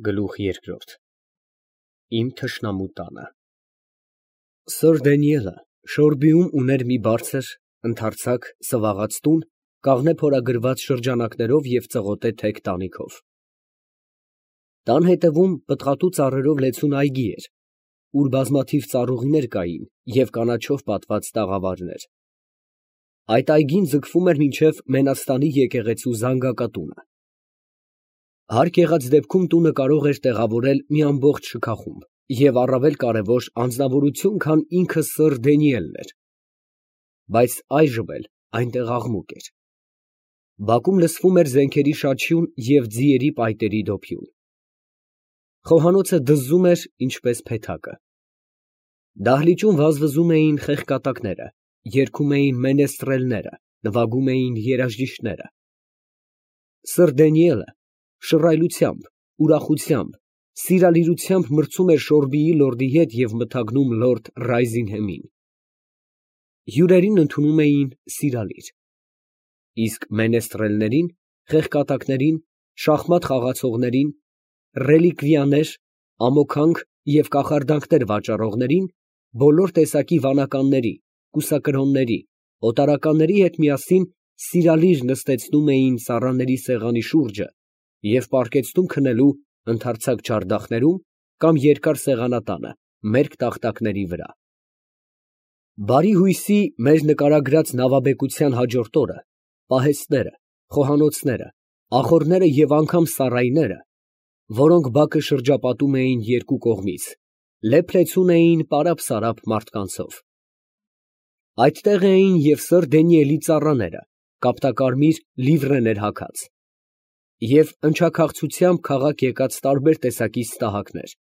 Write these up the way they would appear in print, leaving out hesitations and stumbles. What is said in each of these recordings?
Գլուխ երկրորդ Իմ թշնամու տանը Սըր Դանիելը Շորբիում ուներ մի բարձր, ընդարձակ, սվաղած տուն, կաղնե փորագրված շրջանակներով և ծղոտե թեք տանիքով։ Տան հետևում պտղատու ծառերով լեցուն այգի էր, ուր բազմաթիվ ծառուղիներ կային և կանաչով պատված տաղավարներ։ Այդ այգին ձգվում էր մինչև Մենաստանի եկեղեցու զանգակատունը։ Հարկ եղած դեպքում տունը կարող էր տեղավորել մի ամբողջ շքախումբ և առավել կարևոր անձնավորություն, քան ինքը սըր Դանիելն էր, բայց այժմ էլ այնտեղ աղմուկ էր։ Բակում լսվում էր զենքերի շաչյուն և ձիերի պայտերի դոփյուն։ Խոհանոցը դզզում էր ինչպես փեթակը։ Դահլիճում վազվզում էին խեղկատակները, երգում էին մենեստրելները, նվագում էին երաժիշտները։ Սըր Դանիելը շռայլությամբ, ուրախությամբ, սիրալիրությամբ մրցում էր Շորբիի լորդի հետ և մթագնում լորդ Ռայզինհեմին։ Հյուրերին ընդունում էին սիրալիր, իսկ մենեստրելներին, խեղկատակներին, շախմատ խաղացողներին, ռելիկվիաներ, ամոքանք և կախարդանքներ վաճառողներին, բոլոր տեսակի վանականների, կուսակրոնների, օտարականների հետ միասին սիրալիր նստեցնում էին ծառաների սեղանի շուրջը և պառկեցնում քնելու ընդարձակ չարդախներում կամ երկար սեղանատանը, մերկ տախտակների վրա։ Բարի հույսի մեր նկարագրած նավաբեկության հաջորդ օրը պահեստները, խոհանոցները, ախոռները և անգամ սառայները, որոնք բակը շրջապատում էին երկու կողմից, լեփ֊լեցուն էին պարապ֊սարապ մարդկանցով։ Այդտեղ էին և սըր Դանիելի ծառաները, կապտակարմիր լիվրեներ հագած, և ընչաքաղցությամբ քաղաք եկած տարբեր տեսակի սպահակներ,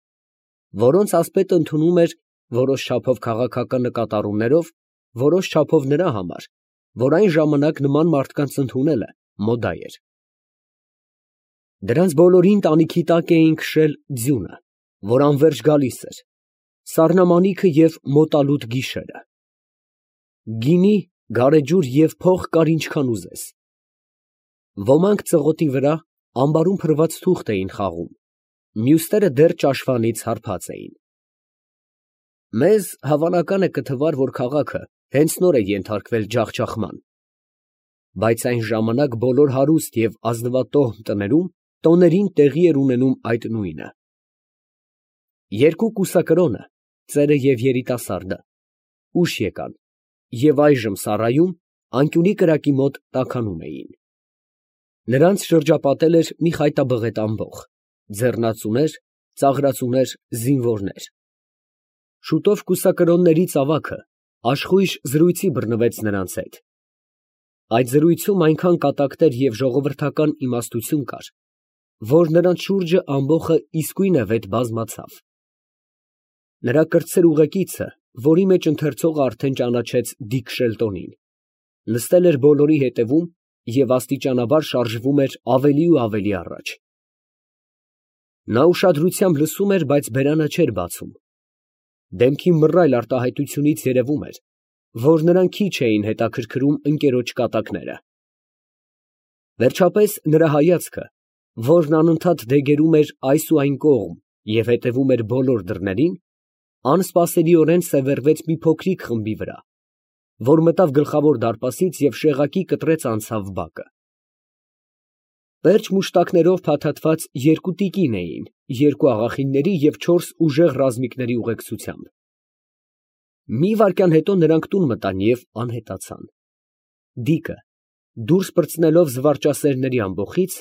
որոնց ասպետը ընդունում էր որոշ չափով քաղաքական նկատառումներով, որոշ չափով նրա համար, որ այն ժամանակ նման մարդկանց ընդունելը մոդա էր։ Դրանց բոլորին տանիքի տակ էին քշել ձյունը, որ անվերջ գալիս էր, սառնամանիքը և մոտալուտ գիշերը։ Գինի, գարեջուր և փող կար ինչքան ուզես։ Ոմանք ծղոտի վրա ամբարում փռված թուղթ էին խաղում, մյուսները դեռ ճաշվանից հարբած էին։ Մեզ հավանական է կթվար, որ քաղաքը հենց նոր է ենթարկվել ջախջախման, բայց այն ժամանակ բոլոր հարուստ և ազնվատոհմ տներում տոներին տեղի էր ունենում այդ նույնը։ Երկու կուսակրոնը, ծերը և երիտասարդը, ուշ եկան և այժմ սառայում, անկյունի կրակի մոտ տաքանում էին։ Նրանց շրջապատել էր մի խայտաբղետ ամբոխ, ձեռնածուներ, ծաղրածուներ, զինվորներ։ Շուտով կուսակրոնների ծավաքը աշխույժ զրույցի բռնվեց նրանց հետ։ Այդ զրույցում այնքան կատակներ և ժողովրդական իմաստություն կար, որ նրանց շուրջը ամբոխը իսկույնևեթ բազմացավ։ Նրա կրտսեր ուղեկիցը, որի մեջ ընթերցողը արդեն ճանաչեց Դիք Շելտոնին, նստել էր բոլորի հետևում և աստիճանաբար շարժվում էր ավելի ու ավելի առաջ։ Նա ուշադրությամբ լսում էր, բայց բերանը չէր բացում։ Դեմքի մռայլ արտահայտությունից երևում էր, որ նրան քիչ էին հետաքրքրում ընկերոջ կատակները։ Վերջապես նրա հայացքը, որն անընդհատ դեգերում էր այս ու այն կողմ և հետևում էր բոլոր դռներին, անսպասելիորեն սևեռվեց մի փոքրիկ խմբի վրա, որ մտավ գլխավոր դարպասից և շեղակի կտրեց անցավ բակը։ Պերճ մուշտակներով փաթաթված երկու տիկին էին երկու աղախինների և չորս ուժեղ ռազմիկների ուղեկցությամբ։ Մի վայրկյան հետո նրանք տուն մտան և անհետացան։ Դիկը, դուրս պրծնելով զվարճասերների ամբոխից,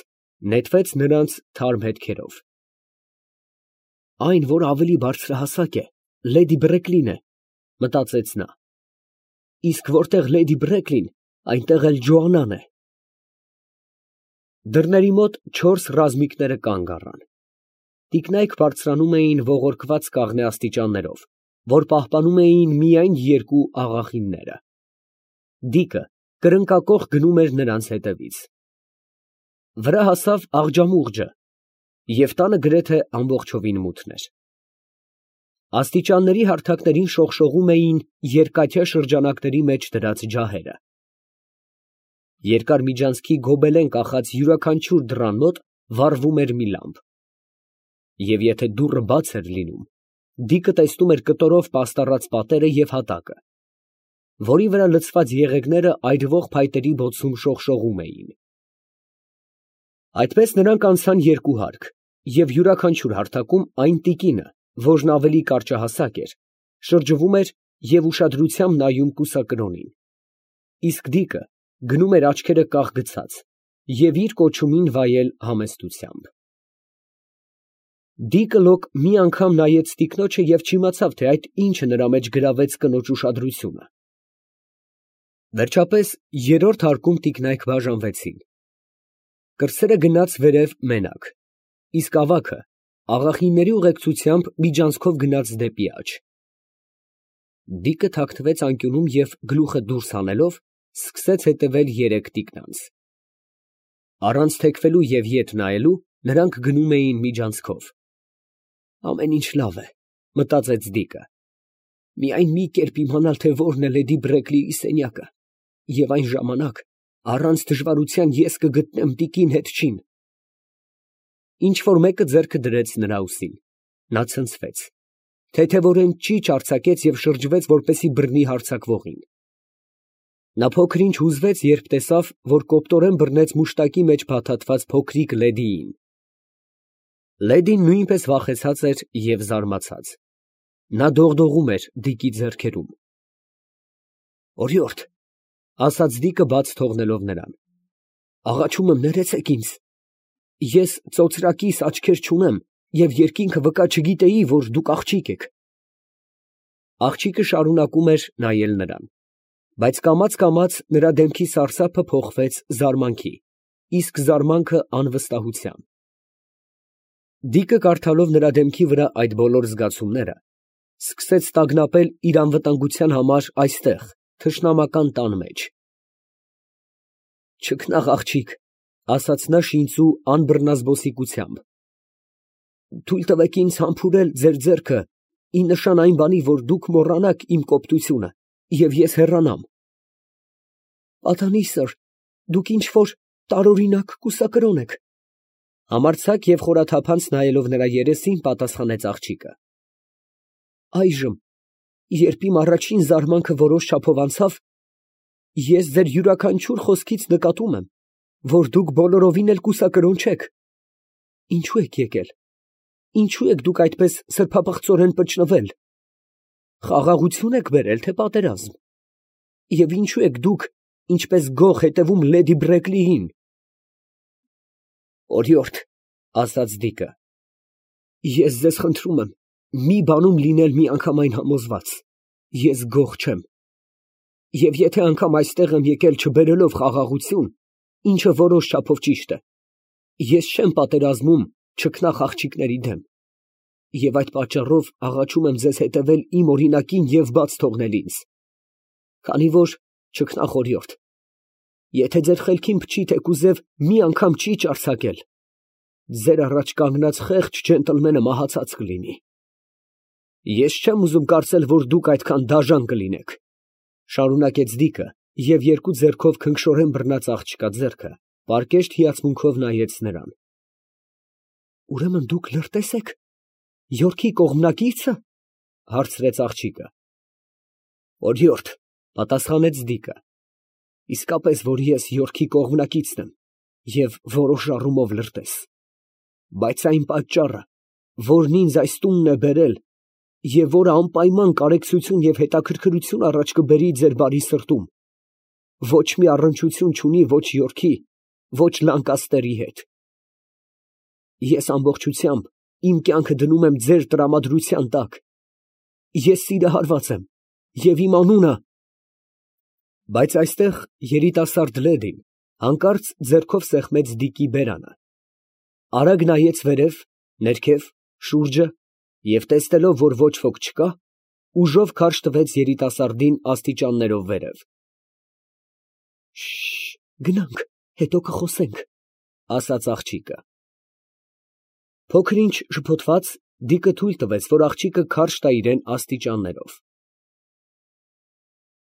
նետվեց նրանց թարմ հետքերով։ «Այն, որ ավելի բարձրահասակ է, լեդի Բրեքլին է, ֊ մտածեց նա, ֊ իսկ որտեղ լեդի Բրեքլին, այնտեղ էլ Ջոանան է»։ Դռների մոտ չորս ռազմիկները կանգ առան։ Տիկնայք բարձրանում էին ողորկված կաղնե աստիճաններով, որ պահպանում էին միայն երկու աղախինները։ Դիկը կրնկակոխ գնում էր նրանց հետևից։ Վրա հասավ աղջամուղջը, և տանը գրեթե ամբողջովին մութն էր։ Աստիճանների հարթակներին շողշողում էին երկաթյա շրջանակների մեջ դրած ջահերը։ Երկար միջանցքի գոբելեն կախած յուրաքանչյուր դռան մոտ վառվում էր մի լամպ։ Եվ եթե դուռը բաց էր լինում, Դիկը տեսնում էր կտորով պաստառած պատերը և հատակը, որի վրա լցված եղեգները այրվող փայտերի բոցում շողշողում էին։ Այդպես նրանք անցան երկու հարկ, և յուրաքանչյուր հարթակում այն տիկինը, որն ավելի կարճահասակ էր, շրջվում էր և ուշադրությամբ նայում կուսակրոնին, իսկ Դիկը գնում էր աչքերը կաղ գցած և իր կոչումին վայել համեստությամբ։ Դիկը լոկ մի անգամ նայեց տիկնոջը և չիմացավ, թե այդ ինչը նրա մեջ գրավեց կնոջ ուշադրությունը։ Վերջապես երրորդ հարկում տիկնայք բաժանվեցին. կրտսերը գնաց վերև մենակ, իսկ ավագը աղախինների ուղեկցությամբ միջանցքով գնաց դեպի աջ։ Դիկը թաքնվեց անկյունում և գլուխը դուրս հանելով, սկսեց հետևել երեք տիկնանց։ Առանց թեքվելու և ետ նայելու նրանք գնում էին միջանցքով։ Ամեն ինչ լավ է, մտածեց Դիկը, միայն մի կերպ իմանալ, թե որն է լեդի Բրեքլիի սենյակը, և այն ժամանակ առանց դժվարության ես կգտնեմ տիկին հետչին։ Ինչ որ մեկը ձեռքը դրեց նրա ուսին, նա ցնցվեց, թեթևորեն ճիչ արձակեց և շրջվեց, որպեսզի բռնի հարձակվողին։ Նա փոքր ինչ հուզվեց, երբ տեսավ, որ կոպտորեն բռնեց մուշտակի մեջ փաթաթված փոքրիկ լեդիին։ Լեդին նույնպես վախեցած էր և զարմացած, նա դողդողում էր Դիկի ձեռքերում։ Օրիորդ, ասաց Դիկը բաց թողնելով նրան, աղաչում եմ, ներեցեք ինձ, ես ծոծրակիս աչքեր չունեմ և երկինքը վկա չգիտեի, որ դուք աղջիկ եք։ Աղջիկը շարունակում էր նայել նրան, բայց կամաց նրա դեմքի սարսափը փոխվեց զարմանքի, իսկ զարմանքը անվստահության։ Դիկը կարդալով նրա դեմքի վրա այդ բոլոր զգացումները, սկսեց տագնապել իր անվտանգության համար այստեղ, թշնամական տան մեջ։ Չքնաղ աղջիկ, ասաց նա շինծու անբռնազբոսիկությամբ, թույլ տվեք ինձ համբուրել ձեր ձեռքը, ի նշան այն բանի, որ դուք մոռանաք իմ կոպտությունը, և ես հեռանամ։ Պատանի սըր, դուք ինչ֊որ տարօրինակ կուսակրոն եք։ Համարձակ և խորաթափանց նայելով նրա երեսին, պատասխանեց աղջիկը։ Այժմ, երբ իմ առաջին զարմանքը որոշ չափով անցավ, ես ձեր յուրաքանչյուր խոսքից նկատում եմ, որ դուք բոլորովին էլ կուսակրոն չեք։ Ինչո՞ւ եք եկել, ինչո՞ւ եք դուք այդպես սրբապղծորեն պճնվել, խաղաղությո՞ւն եք բերել, թե պատերազմ, և ինչո՞ւ եք դուք, ինչպես գող, հետևում լեդի Բրեքլիին։ Օրիորդ, ասաց Դիկը, ես ձեզ խնդրում եմ, մի բանում լինել միանգամայն համոզված, ես գող չեմ, և եթե անգամ այստեղ եմ եկել չբերելով խաղաղություն, ինչը որոշ չափով ճիշտ է, ես չեմ պատերազմում չքնաղ աղջիկների դեմ, և այդ պատճառով աղաչում եմ ձեզ հետևել իմ օրինակին և բաց թողնել ինձ, քանի որ, չքնաղ օրիորդ, եթե ձեր խելքին փչի թեկուզև մի անգամ ճիչ արձակել, ձեր առաջ կանգնած խեղճ ջենտլմենը մահացած կլինի։ Ես չեմ ուզում կարծել, որ դուք այդքան դաժան կլինեք, շարունակեց Դիկը և երկու ձեռքով քնքշորեն բռնած աղջկա ձեռքը պարկեշտ հիացմունքով նայեց նրան։ Ուրեմն դուք լրտես եք, Յորքի կողմնակի՞ցը, հարցրեց աղջիկը։ Օրիորդ, պատասխանեց Դիկը, իսկապես, որ ես Յորքի կողմնակիցն եմ և որոշ առումով լրտես, բայց այն պատճառը, որն ինձ այս տունն է բերել և որը անպայման կարեկցություն և հետաքրքրություն առաջ կբերի ձեր բարի սրտում, ոչ մի առնչություն չունի ոչ Յորքի, ոչ Լանկաստերի հետ։ Ես ամբողջությամբ իմ կյանքը դնում եմ ձեր տրամադրության տակ, ես սիրահարված եմ և իմ անունը… Բայց այստեղ երիտասարդ լեդին հանկարծ ձեռքով սեղմեց Դիկի բերանը, արագ նայեց վերև, ներքև, շուրջը և տեսնելով, որ ոչ ոք չկա, ուժով քարշ տվեց երիտասարդին աստիճաններով վերև։ Գնանք, հետո կխոսենք, ասաց աղջիկը։ Փոքր ինչ շփոթված, Դիկը թույլ տվեց, որ աղջիկը քարշ տա իրան աստիճաններով։